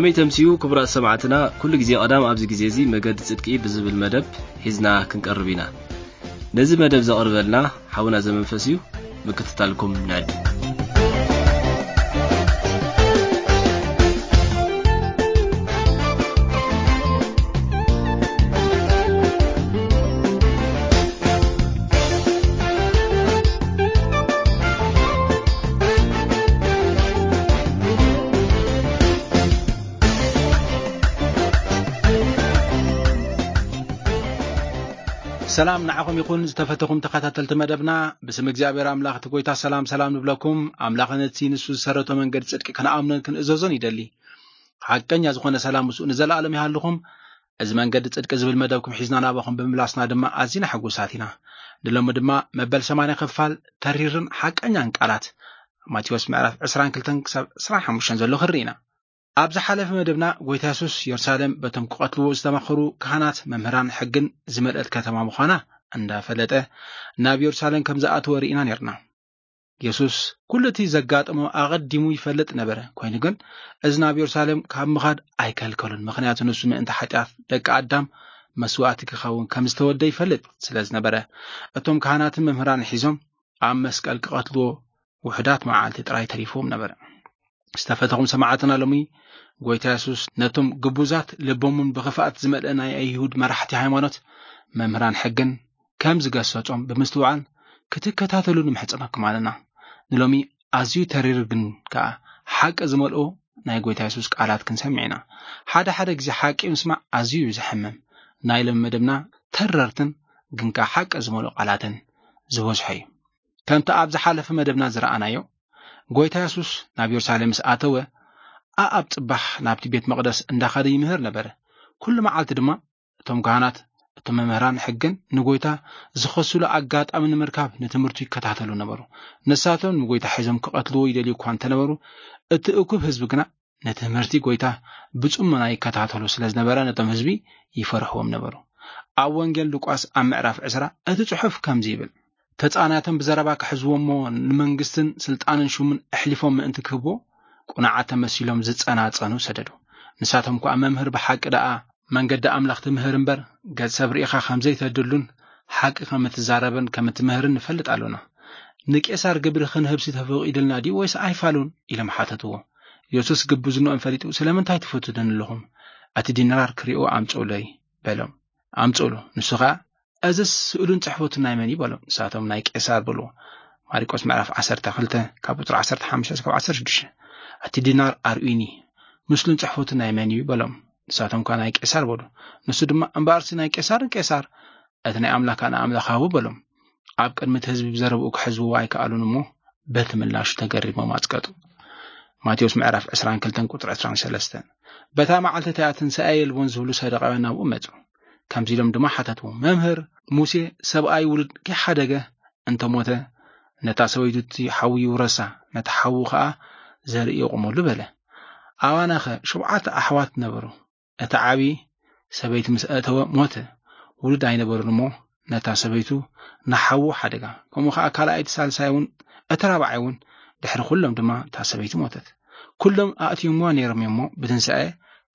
ከመይ ተምስዩ ክቡራት ሰማዕትና፣ ኩሉ ግዜ ቀዳም ኣብዚ ግዜ እዚ መገዲ ጽድቂ ብዝብል መደብ ሒዝና ክንቀርብ ኢና። ነዚ መደብ ዘቕርበልና ሓውና ዘመንፈስ እዩ። ምክትታልኩም ንዕድ። ሰላም ንዓኹም ይኹን ዝተፈተኹም ተኸታተልቲ መደብና። ብስም እግዚኣብሔር ኣምላኽ እቲ ጎይታ ሰላም ሰላም ንብለኩም። ኣምላኽ ነቲ ንሱ ዝሰረቶ መንገዲ ጽድቂ ክንኣምኖን ክንእዘዞን ይደሊ። ሓቀኛ ዝኾነ ሰላም ምስኡ ንዘለኣለም ይሃልኹም። እዚ መንገዲ ጽድቂ ዝብል መደብኩም ሒዝና ናባኹም ብምምላስና ድማ ኣዚና ሕጉሳት ኢና። ንሎሚ ድማ መበል ሰማንያ ክፋል ተሪርን ሓቀኛን ቃላት ማቴዎስ ምዕራፍ ዕስራን ክልተን ክሳብ ዕስራን ሓሙሽተን ዘሎ ክርኢ ኢና። ኣብ ዝሓለፈ መደብና ጎይታ የሱስ የሩሳሌም በቶም ክቐትልዎ ዝተማኸሩ ካህናት መምህራን ሕግን ዝመልአት ከተማ ምዃና እንዳፈለጠ ናብ የሩሳሌም ከም ዝኣተወ ርኢና ነርና። የሱስ ኩሉ እቲ ዘጋጠሞ ኣቐዲሙ ይፈልጥ ነበረ። ኮይኑ ግን እዚ ናብ የሩሳሌም ካብ ምኻድ ኣይከልከሉን። ምኽንያቱ ንሱ ምእንቲ ሓጢኣት ደቂ ኣዳም መስዋእቲ ክኸውን ከም ዝተወልደ ይፈልጥ ስለ ዝነበረ፣ እቶም ካህናትን መምህራን ሒዞም ኣብ መስቀል ክቐትልዎ ውሑዳት መዓልቲ ጥራይ ተሪፍዎም ነበረ። ዝተፈተኹም ሰማዕትና፣ ሎሚ ጎይታ የሱስ ነቶም ግቡዛት ልቦምን ብኽፍኣት ዝመልአ ናይ ኣይሁድ መራሕቲ ሃይማኖት መምህራን ሕግን ከም ዝገሰጾም ብምስትውዓል ክትከታተሉ ንምሕጽነኩም ኣለና። ንሎሚ ኣዝዩ ተሪር ግን ከኣ ሓቂ ዝመልኦ ናይ ጎይታ የሱስ ቃላት ክንሰምዕ ኢና። ሓደ ሓደ ግዜ ሓቂ ምስማዕ ኣዝዩ እዩ ዘሕምም። ናይ ሎሚ መደብና ተረርትን ግን ከኣ ሓቂ ዝመልኦ ቃላትን ዝበዝሖ እዩ። ከምቲ ኣብ ዝሓለፈ መደብና ዝረኣናዮ፣ ጎይታ የሱስ ናብ የሩሳሌም ምስ ኣተወ፣ ኣኣብ ጽባሕ ናብቲ ቤት መቕደስ እንዳኸደ ይምህር ነበረ። ኩሉ መዓልቲ ድማ እቶም ካህናት፣ እቶም መምህራን ሕግን ንጎይታ ዝኸስሉ ኣጋጣሚ ንምርካብ ንትምህርቱ ይከታተሉ ነበሩ። ንሳቶም ንጎይታ ሒዞም ክቐትልዎ ይደልዩ እኳ እንተነበሩ፣ እቲ እኩብ ህዝቢ ግና ንትምህርቲ ጎይታ ብጽሞና ይከታተሉ ስለ ዝነበረ፣ ነቶም ህዝቢ ይፈርሕዎም ነበሩ። ኣብ ወንጌል ሉቃስ ኣብ ምዕራፍ ዕስራ እቲ ጽሑፍ ከምዚ ይብል፣ ተጻናቶም ብዘረባ ክሕዝዎ እሞ ንመንግስትን ስልጣንን ሹምን ኣሕሊፎም ምእንቲ ክህብዎ፣ ቁኑዓት ተመሲሎም ዝጸናጸኑ ሰደዱ። ንሳቶም ከኣ፣ "መምህር፣ ብሓቂ ደኣ መንገዲ ኣምላኽ ትምህር እምበር፣ ገጽ ሰብ ርኢኻ ከም ዘይተድሉን ሓቂ ከም እትዛረብን ከም እትምህርን ንፈልጥ ኣሎና። ንቄሳር ግብሪ ክንህብሲ ተፈቒዱልና ድዩ ወይስ ኣይፋሉን?" ኢሎም ሓተትዎ። የሱስ ግብዝንኦም ፈሊጡ፣ "ስለምንታይ ትፈትኑኒ ኣለኹም? እቲ ዲናር ክሪኦ ኣምጽኡለይ" በሎም። ኣምጽኡሉ። ንሱ ኸኣ፣ "እዝስ ስእሉን ጽሕፈቱን ናይ መን እዩ?" በሎም። ንሳቶም፣ "ናይ ቄሳር" በልዎ። ማርቆስ ምዕራፍ ዓሰርተ ክልተ ካብ ቁጽሪ ዓሰርተ ሓሙሽተ እስካብ ዓሰርተ ሽዱሽተ። "እቲ ዲናር ኣርእዩኒ፣ ምስሉን ጽሕፈቱን ናይ መን እዩ?" በሎም። ንሳቶም ከኣ፣ "ናይ ቄሳር" በሉ። ንሱ ድማ፣ "እምበኣርሲ ናይ ቄሳር ንቄሳር፣ እቲ ናይ ኣምላኽ ከኣ ንኣምላኽ ሃቡ" በሎም። ኣብ ቅድሚ እቲ ህዝቢ ብዘረብኡ ክሕዝዎ ኣይከኣሉን እሞ፣ በቲ ምላሹ ተገሪሞም ኣጽቀጡ። ማቴዎስ ምዕራፍ ዕስራን ክልተን ቁጽሪ ዕስራን ሰለስተን። በታ መዓልቲ እቲኣ ትንሳኤ የልቦን ዝብሉ ሰደቃውያን ናብኡ መጹ። ከምዚ ኢሎም ድማ ሓተትዎ፣ "መምህር፣ ሙሴ ሰብኣይ ውሉድ ከይሓደገ እንተሞተ፣ ነታ ሰበይቱ እቲ ሓዊ ይውረሳ፣ ነቲ ሓዊ ኸኣ ዘርኢ የቑመሉ በለ። ኣባናኸ ሸውዓተ ኣሕዋት ነበሩ። እቲ ዓቢ ሰበይቲ ምስ ኣእተወ ሞተ። ውሉድ ኣይነበሩን እሞ፣ ነታ ሰበይቱ ንሓዉ ሓደጋ። ከምኡ ኸኣ ካልኣይቲ፣ ሳልሳይ እውን፣ እቲ ራብዓይ እውን፣ ድሕሪ ኩሎም ድማ እታ ሰበይቲ ሞተት። ኩሎም ኣእትዮምዋ ነይሮም እዮም እሞ፣ ብትንሳኤ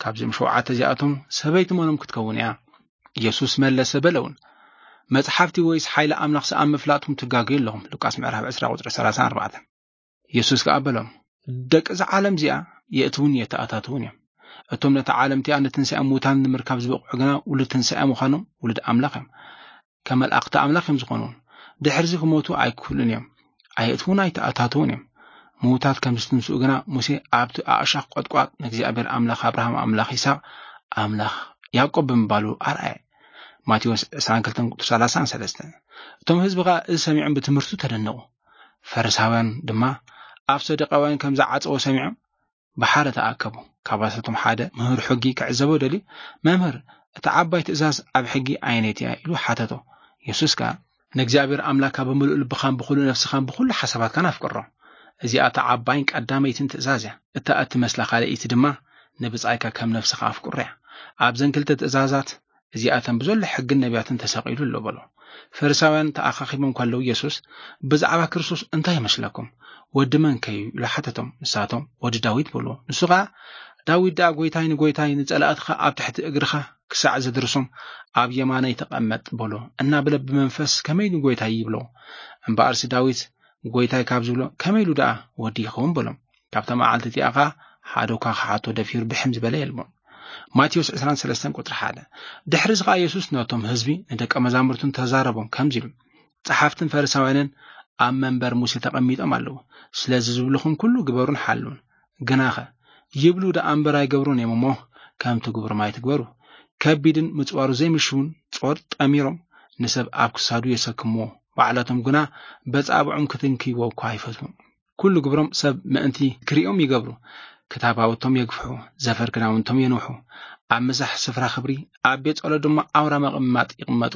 ካብዚኦም ሸውዓተ እዚኣቶም ሰበይቲ መኖም ክትከውን እያ?" የሱስ መለሰ በለውን፣ "መጽሓፍቲ ወይስ ሓይሊ ኣምላኽሲ ኣብ ምፍላጥኩም ትጋገዩ ኣለኹም?" ሉቃስ ምዕራፍ ዕስራ ቁጽሪ ሰላሳን ኣርባዕተን። የሱስ ከኣ በሎም፣ "ደቂ እዛ ዓለም እዚኣ የእትውን የተኣታትውን እዮም። እቶም ነታ ዓለም እቲኣ ንትንሳኤ ሙታን ንምርካብ ዝበቕዑ ግና ውሉድ ትንሳኤ ምዃኖም ውሉድ ኣምላኽ እዮም። ከመልኣኽቲ ኣምላኽ እዮም ዝኾኑ። ድሕርዚ ክሞቱ ኣይክህሉን እዮም። ኣየእትውን ኣይተኣታትውን እዮም። ምዉታት ከም ዝትንስኡ ግና ሙሴ ኣብቲ ኣእሻኽ ቆጥቋጥ ንእግዚኣብሔር ኣምላኽ ኣብርሃም፣ ኣምላኽ ይስሐቅ፣ ኣምላኽ ያዕቆብ ብምባሉ ኣርኣየ።" ማቴዎስ ዕስራን ክልተን ቁጽሪ ሰላሳን ሰለስተን። እቶም ህዝቢ ኸኣ እዚ ሰሚዖም ብትምህርቱ ተደነቑ። ፈሪሳውያን ድማ ኣብ ሰዱቃውያን ከም ዝዓጸዎ ሰሚዖም ብሓደ ተኣከቡ። ካባታቶም ሓደ ምህር ሕጊ ክዕዘቦ ደልዩ፣ "መምህር፣ እታ ዓባይ ትእዛዝ ኣብ ሕጊ ኣየነይቲ እያ?" ኢሉ ሓተቶ። የሱስ ከኣ፣ "ንእግዚኣብሔር ኣምላኽካ ብምሉእ ልብኻን ብኹሉ ነፍስኻን ብኹሉ ሓሳባትካን ኣፍቅሮ። እዚኣ እታ ዓባይን ቀዳመይትን ትእዛዝ እያ። እታ እትመስላ ካልኣይቲ ድማ ንብጻይካ ከም ነፍስኻ ኣፍቅሮ እያ። ኣብዘን ክልተ ትእዛዛት እዚኣተን ብዘሎ ሕግን ነቢያትን ተሰቒሉ ኣሎ" በሎ። ፈሪሳውያን ተኣኻኺቦም ከለዉ የሱስ፣ "ብዛዕባ ክርስቶስ እንታይ ይመስለኩም? ወዲ መን ከ እዩ?" ኢሉ ሓተቶም። ንሳቶም፣ "ወዲ ዳዊት" በልዎ። ንሱ ኸኣ፣ ዳዊት ደኣ፣ "ጎይታይ ንጎይታይ፣ ንጸላእትኻ ኣብ ትሕቲ እግርኻ ክሳዕ ዘድርሶም ኣብ የማነይ ተቐመጥ" በሎ እናበለ ብመንፈስ ከመይ ንጎይታይ ይብሎ። እምበኣርሲ ዳዊት፣ "ጎይታይ" ካብ ዝብሎ ከመይ ኢሉ ደኣ ወዲ ይኸውን በሎም። ካብታ መዓልቲ እቲኣ ኸኣ ሓደ እኳ ክሓቶ ደፊሩ ድሕም ዝበለ የልቦን። ማቴዎስ ዕስራን ሰለስተን ቁጽሪ ሓደ። ድሕሪ እዚ ኸኣ የሱስ ነቶም ህዝቢ ንደቀ መዛሙርቱን ተዛረቦም ከምዚ ኢሉ፣ "ጸሓፍትን ፈሪሳውያንን ኣብ መንበር ሙሴ ተቐሚጦም ኣለዉ። ስለዚ ዝብልኹም ኩሉ ግበሩን ሓልውን። ግናኸ ይብሉ ደኣ እምበር ኣይገብሩን እዮም እሞ፣ ከም ትግብሩ ማይ ትግበሩ። ከቢድን ምጽዋሩ ዘይምሽውን ጾር ጠሚሮም ንሰብ ኣብ ክሳዱ የሰክምዎ፣ ባዕላቶም ግና በጻብዖም ክትንክይዎ እኳ ኣይፈትዉን። ኩሉ ግብሮም ሰብ ምእንቲ ክርእዮም ይገብሩ። ክታብ ሃውቶም የግፍሑ፣ ዘፈር ክዳውንቶም የንውሑ። ኣብ ምሳሕ ስፍራ ክብሪ፣ ኣብ ቤት ጸሎት ድማ ኣውራ መቐማጥ ይቕመጡ።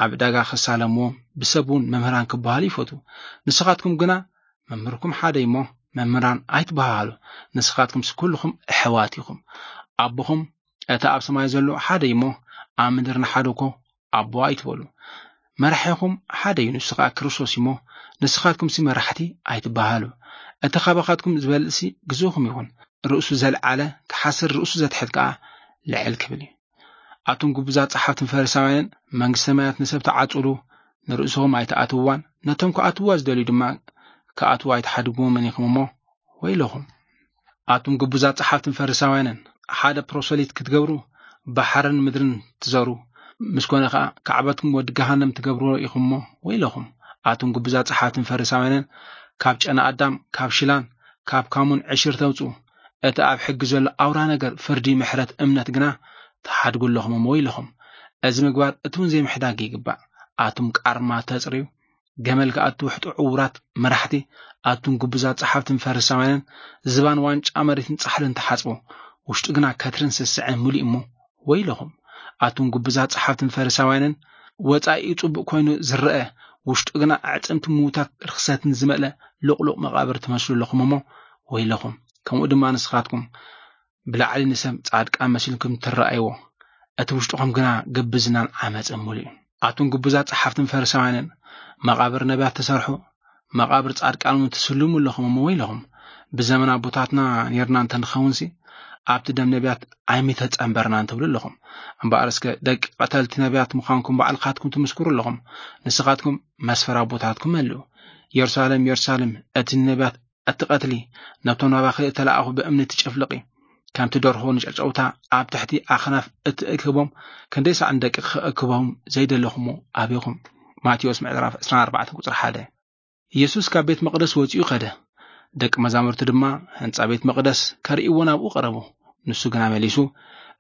ኣብ ዕዳጋ ክሳለምዎ፣ ብሰብ እውን መምህራን ክበሃሉ ይፈትዉ። ንስኻትኩም ግና መምህርኩም ሓደ እዩ እሞ፣ መምህራን ኣይትበሃሃሉ። ንስኻትኩምስ ኩልኹም ኣሕዋት ኢኹም። ኣቦኹም እቲ ኣብ ሰማይ ዘሎ ሓደ እዩ እሞ፣ ኣብ ምድሪ ንሓደ እኮ ኣቦ ኣይትበሉ። መራሒኹም ሓደ እዩ፣ ንሱ ኸኣ ክርስቶስ እዩ እሞ፣ ንስኻትኩምሲ መራሕቲ ኣይትበሃሉ። እቲ ኻባኻትኩም ዝበልጽሲ ግዙእኹም ይኹን። ርእሱ ዘልዓለ ክሓስር፣ ርእሱ ዘትሕት ከኣ ልዕል ክብል እዩ። ኣቱም ግቡዛት ጸሓፍትን ፈሪሳውያንን፣ መንግስቲ ሰማያት ንሰብ ትዓጽሉ፣ ንርእስኹም ኣይትኣትውዋን፣ ነቶም ክኣትውዋ ዝደልዩ ድማ ክኣትዉ ኣይትሓድግዎምን ኢኹም እሞ፣ ወይለኹም። ኣቱም ግቡዛት ጸሓፍትን ፈሪሳውያንን፣ ሓደ ፕሮሰሊት ክትገብሩ ባሕርን ምድርን ትዘሩ፣ ምስ ኮነ ኸኣ ካዕበትኩም ወዲ ገሃነም ትገብርዎ ኢኹም እሞ፣ ወይለኹም። ኣቱም ግቡዛት ጸሓፍትን ፈሪሳውያንን፣ ካብ ጨና ኣዳም፣ ካብ ሽላን ካብ ካሙን ዕሽር ተውጽኡ፣ እቲ ኣብ ሕጊ ዘሎ ኣውራ ነገር ፍርዲ፣ ምሕረት፣ እምነት ግና ትሓድጉ ኣለኹም እሞ፣ ወይለኹም። እዚ ምግባር እቲ እውን ዘይምሕዳግ ይግባእ። ኣቱም ቃርማ ተጽርዩ፣ ገመል ከኣ እትውሕጡ ዕዉራት መራሕቲ፣ ኣቱም ግቡዛት ጸሓፍትን ፈሪሳውያንን፣ ዝባን ዋንጫ መሬትን ጻሕልን ትሓጽቡ፣ ውሽጡ ግና ከትርን ስስዐን ምሉእ እሞ፣ ወይለኹም። ኣቱም ግቡዛት ጸሓፍትን ፈሪሳውያንን፣ ወጻኢኡ ጽቡቕ ኮይኑ ዝረአ፣ ውሽጡ ግና ኣዕጽምቲ ምዉታት ርኽሰትን ዝመልአ ልቕሉቕ መቓብር ትመስሉ ኣለኹም እሞ፣ ወይለኹም። ከምኡ ድማ ንስኻትኩም፣ ብላዕሊ ንሰብ ጻድቃን መሲልኩም ትረኣይዎ፣ እቲ ውሽጥኹም ግና ግብዝናን ዓመጽን ምሉእ እዩ። ኣቱም ግቡዛት ጸሓፍትን ፈሪሳውያንን፣ መቓብር ነቢያት ትሰርሑ፣ መቓብር ጻድቃን እውን ትስልሙ ኣለኹም እሞ፣ ወይለኹም። ብዘመን ኣቦታትና ኔርና እንተ ንኸውንሲ፣ ኣብቲ ደም ነቢያት ኣይምተጸንበርናን ትብሉ ኣለኹም። እምበኣር እስከ ደቂ ቀተልቲ ነቢያት ምዃንኩም ባዕልኻትኩም ትምስክሩ ኣለኹም። ንስኻትኩም መስፈር ኣቦታትኩም መልኡ። የሩሳሌም፣ የሩሳሌም፣ እቲ ንነቢያት እትቐትሊ፣ ነብቶም ናባኺ እተላእኹ ብእምኒ ትጭፍልቒ፣ ከምቲ ደርሆ ንጨጨውታ ኣብ ትሕቲ ኣኽናፍ እትእክቦም፣ ክንደይ ሳዕ ንደቅኺ ክእክቦም ዘይደለኹሞ ኣቤኹም። ማቴዎስ ምዕራፍ ዕስራን ኣርባዕተን ቁጽሪ ሓደ። ኢየሱስ ካብ ቤት መቕደስ ወጺኡ ኸደ። ደቂ መዛሙርቲ ድማ ህንጻ ቤት መቕደስ ከርእይዎ ናብኡ ቀረቡ። ንሱ ግና መሊሱ፣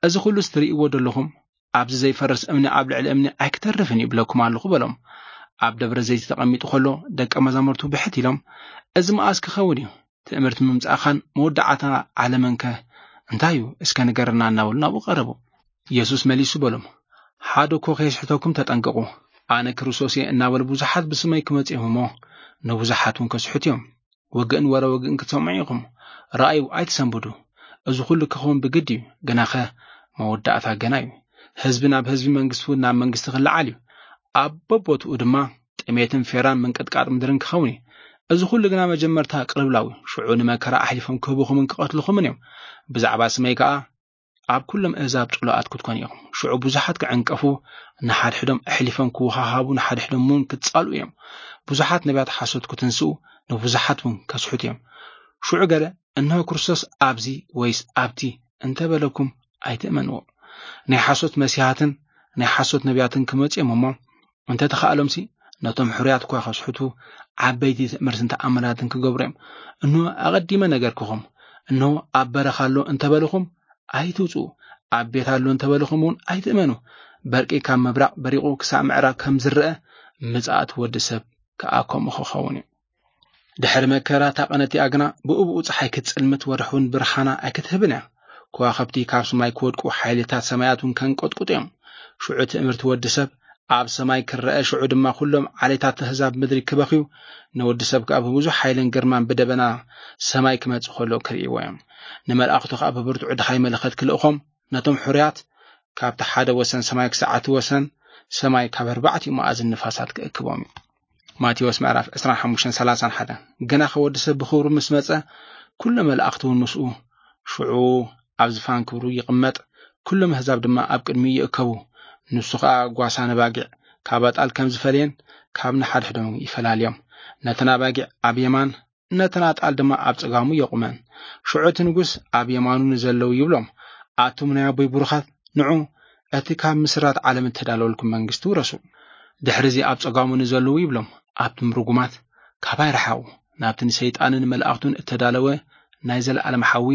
"እዚ ኹሉስ ትርእይዎ ደለኹም፣ ኣብዚ ዘይፈርስ እምኒ ኣብ ልዕሊ እምኒ ኣይክተርፍን እዩ ብለኩም ኣለኹ" በሎም። ኣብ ደብረ ዘይት ተቐሚጡ ኸሎ ደቀ መዛሙርቱ ብሕት ኢሎም፣ "እዚ መኣስ ክኸውን እዩ? ትእምርቲ ምምጻእኻን መወዳዕታ ዓለምንከ እንታይ እዩ? እስከ ንገረና" እናበሉ ናብኡ ቀረቡ። ኢየሱስ መሊሱ በሎም፣ "ሓደ እኮ ከየስሕተኩም ተጠንቀቑ። ኣነ ክርስቶስ እየ" እናበሉ ብዙሓት ብስመይ ክመጹ እዮም እሞ፣ ንብዙሓት እውን ከስሕቱ እዮም። ውግእን ወረ ውግእን ክትሰምዑ ኢኹም። ረኣዩ፣ ኣይትሰንብዱ። እዚ ኹሉ ክኸውን ብግዲ እዩ፣ ግናኸ መወዳእታ ገና እዩ። ህዝቢ ናብ ህዝቢ፣ መንግስቲ እውን ናብ መንግስቲ ክለዓል እዩ። ኣብ በቦትኡ ድማ ጥሜትን ፌራን ምንቅጥቃጥ ምድርን ክኸውን እዩ። እዚ ኹሉ ግና መጀመርታ ቅልውላው እዩ። ሽዑ ንመከራ ኣሕሊፎም ክህብኹምን ክቐትልኹምን እዮም። ብዛዕባ ስመይ ከኣ ኣብ ኩሎም ኣህዛብ ጽሉኣት ክትኮኑ ኢኹም። ሽዑ ብዙሓት ክዕንቀፉ፣ ንሓድሕዶም ኣሕሊፎም ክወሃሃቡ፣ ንሓድሕዶም እውን ክጻልኡ እዮም። ብዙሓት ነቢያት ሓሶት ክትንስኡ፣ ንብዙሓት እውን ከስሕቱ እዮም። ሽዑ ገለ፣ "እንሆ ክርስቶስ ኣብዚ ወይስ ኣብቲ" እንተበለኩም ኣይትእመንዎ። ናይ ሓሶት መሲሓትን ናይ ሓሶት ነቢያትን ክመጹ እዮም እሞ፣ እንተተኻእሎምሲ ነቶም ሕሩያት እኳ ከስሕቱ፣ ዓበይቲ ትእምርትን ተኣምራትን ክገብሩ እዮም። እንሆ ኣቐዲመ ነገርኩኹም። እንሆ ኣብ በረኻ ኣሎ እንተበልኹም ኣይትውጽኡ፣ ኣብ ቤት ኣሎ እንተበልኹም እውን ኣይትእመኑ። በርቂ ካብ ምብራቕ በሪቑ ክሳዕ ምዕራብ ከም ዝረአ፣ ምጽኣት ወዲ ሰብ ከኣ ከምኡ ክኸውን እዩ። ድሕሪ መከራ እታ ቀን እቲኣ ግና ብእብኡ ጸሓይ ክትጽልምት፣ ወርሒ እውን ብርሃና ኣይክትህብን እያ። ከዋኽብቲ ካብ ሰማይ ክወድቁ፣ ሓይልታት ሰማያት እውን ከንቀጥቁጡ እዮም። ሽዑ ትእምርቲ ወዲ ሰብ ኣብ ሰማይ ክረአ፣ ሽዑ ድማ ኩሎም ዓሌታት ኣህዛብ ምድሪ ክበኽዩ፣ ንወዲ ሰብ ከኣ ብብዙሕ ሓይልን ግርማን ብደበና ሰማይ ክመጽእ ከሎ ክርእይዎ እዮም። ንመላእኽቱ ከኣ ብብርቱዕ ድሃይ መለኸት ክልእኾም፣ ነቶም ሕሩያት ካብቲ ሓደ ወሰን ሰማይ ክሳዕ እቲ ወሰን ሰማይ ካብ ኣርባዕቲኡ መኣዝን ንፋሳት ክእክቦም እዩ። ማቴዎስ ምዕራፍ ዕስራን ሓሙሽተን ሰላሳን ሓደ። ግናኸ ወዲ ሰብ ብኽብሩ ምስ መጸ፣ ኩሎም መላእኽቲ እውን ምስኡ፣ ሽዑ ኣብ ዝፋን ክብሩ ይቕመጥ፣ ኩሎም ኣህዛብ ድማ ኣብ ቅድሚኡ ይእከቡ። ንሱ ኸኣ ጓሳ ነባጊዕ ካብ ኣጣል ከም ዝፈልየን ካብ ንሓድሕዶም ይፈላልዮም። ነተን ኣባጊዕ ኣብ የማን፣ ነተን ኣጣል ድማ ኣብ ጸጋሙ የቑመን። ሽዑ እቲ ንጉስ ኣብ የማኑ ንዘለዉ ይብሎም፣ ኣቱም ናይ ኣቦይ ብሩኻት፣ ንዑ፣ እቲ ካብ ምስራት ዓለም እተዳለወልኩም መንግስቲ ውረሱ። ድሕሪ እዚ ኣብ ጸጋሙ ንዘለዉ ይብሎም፣ ኣቱም ርጉማት፣ ካባይ ርሓቑ፣ ናብቲ ንሰይጣንን መልኣኽቱን እተዳለወ ናይ ዘለኣለም ሓዊ፣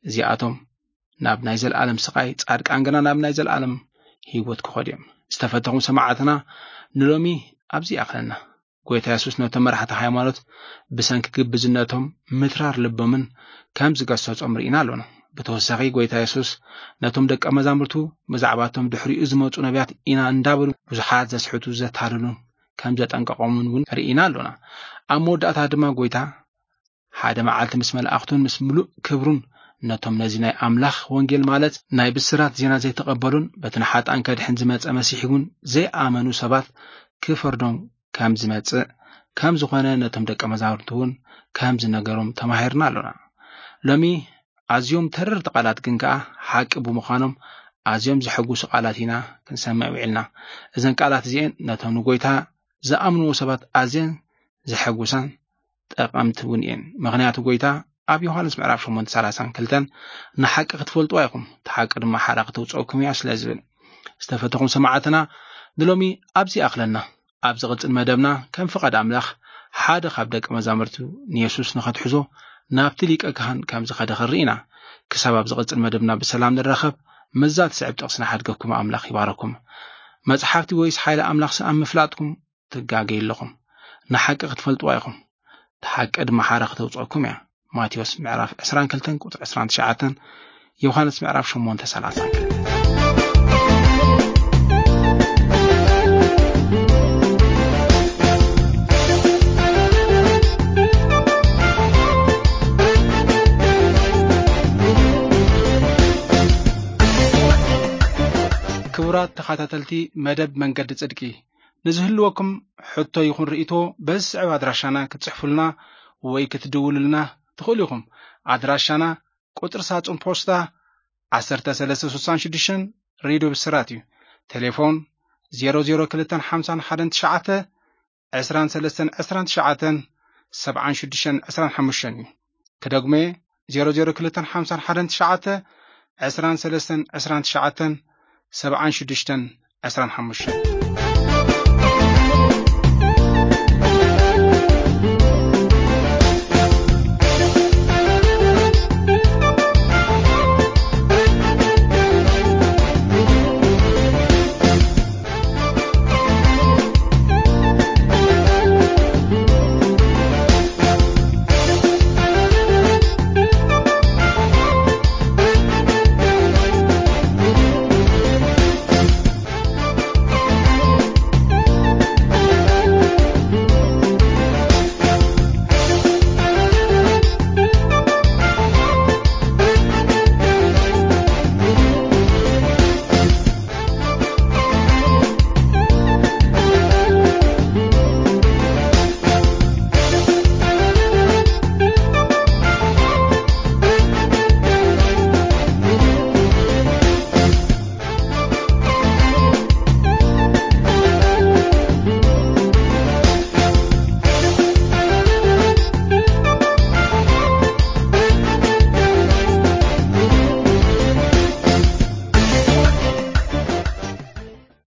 እዚኣቶም ናብ ናይ ዘለኣለም ስቓይ፣ ጻድቃን ግና ናብ ናይ ዘለኣለም ህይወት ክኸዱ እዮም። ዝተፈተኹም ሰማዕትና፣ ንሎሚ ኣብዚ ይኣኽለና። ጎይታ የሱስ ነቶም መራሕቲ ሃይማኖት ብሰንኪ ግብዝነቶም ምትራር ልቦምን ከም ዝገሰጾም ርኢና ኣሎና። ብተወሳኺ ጎይታ የሱስ ነቶም ደቀ መዛሙርቱ ብዛዕባቶም ድሕሪኡ ዝመጹ ነቢያት ኢና እንዳበሉ ብዙሓት ዘስሕቱ ዘታልሉን ከም ዘጠንቀቖምን እውን ርኢና ኣሎና። ኣብ መወዳእታ ድማ ጎይታ ሓደ መዓልቲ ምስ መላእኽቱን ምስ ምሉእ ክብሩን ነቶም ነዚ ናይ ኣምላኽ ወንጌል ማለት ናይ ብስራት ዜና ዘይተቐበሉን በቲ ንሓጣን ከድሕን ዝመጸ መሲሕ እውን ዘይኣመኑ ሰባት ክፈርዶም ከም ዝመጽእ ከም ዝኾነ ነቶም ደቀ መዛሙርቱ እውን ከም ዝነገሮም ተማሂርና ኣሎና። ሎሚ ኣዝዮም ተረርቲ ቃላት ግን ከኣ ሓቂ ብምዃኖም ኣዝዮም ዘሐጉሱ ቃላት ኢና ክንሰምዕ ውዒልና። እዘን ቃላት እዚኤን ነቶም ንጎይታ ዝኣምንዎ ሰባት ኣዝየን ዘሐጉሳን ጠቐምቲ እውን እየን። ምኽንያቱ ጎይታ ኣብ ዮሃንስ ምዕራፍ ሸሞንተ ሰላሳን ክልተን ንሓቂ ክትፈልጥዋ ኢኹም፣ እቲ ሓቂ ድማ ሓራ ክተውፅኦኩም እያ ስለ ዝብል። ዝተፈተኹም ሰማዕትና ንሎሚ ኣብዚ ኣኽለና። ኣብ ዝቕጽል መደብና ከም ፍቓድ ኣምላኽ ሓደ ካብ ደቂ መዛሙርቱ ንየሱስ ንኸትሕዞ ናብቲ ሊቀ ካህን ከም ዝኸደ ክንርኢ ኢና። ክሳብ ኣብ ዝቕጽል መደብና ብሰላም ንራኸብ፣ ምስዛ ትስዕብ ጥቕሲ ንሓድገኩም ኣምላኽ ይባረኩም። መጽሓፍቲ ወይስ ሓይሊ ኣምላኽሲ ኣብ ምፍላጥኩም ትጋገዩ ኣለኹም። ንሓቂ ክትፈልጥዋ ኢኹም፣ እቲ ሓቂ ድማ ሓራ ክተውጽኣኩም እያ። ማቴዎስ ምዕራፍ ዕስራን ክልተን ቁጽሪ ዕስራን ትሽዓተን፣ ዮሃንስ ምዕራፍ ሸሞንተ ሰላሳን ክልተን። ክቡራት ተኸታተልቲ መደብ መንገዲ ጽድቂ፣ ንዝህልወኩም ሕቶ ይኹን ርእይቶ በዚ ዝስዕብ ኣድራሻና ክትጽሕፉልና ወይ ክትድውሉልና ትኽእሉ ኢኹም። ኣድራሻና ቁጽሪ ሳጹን ፖስታ ዓሰርተ ሰለስተ ስሳን ሽዱሽተን፣ ሬድዮ ብስራት እዩ። ቴሌፎን ዜሮ ዜሮ ክልተን ሓምሳን ሓደን ትሽዓተ፣ ዕስራን ሰለስተን ዕስራን ትሽዓተን፣ ሰብዓን ሽዱሽተን ዕስራን ሓሙሽተን እዩ። ክደግሞ እየ፣ ዜሮ ዜሮ ክልተን ሓምሳን ሓደን ትሽዓተ፣ ዕስራን ሰለስተን ዕስራን ትሽዓተን፣ ሰብዓን ሽዱሽተን ዕስራን ሓሙሽተን።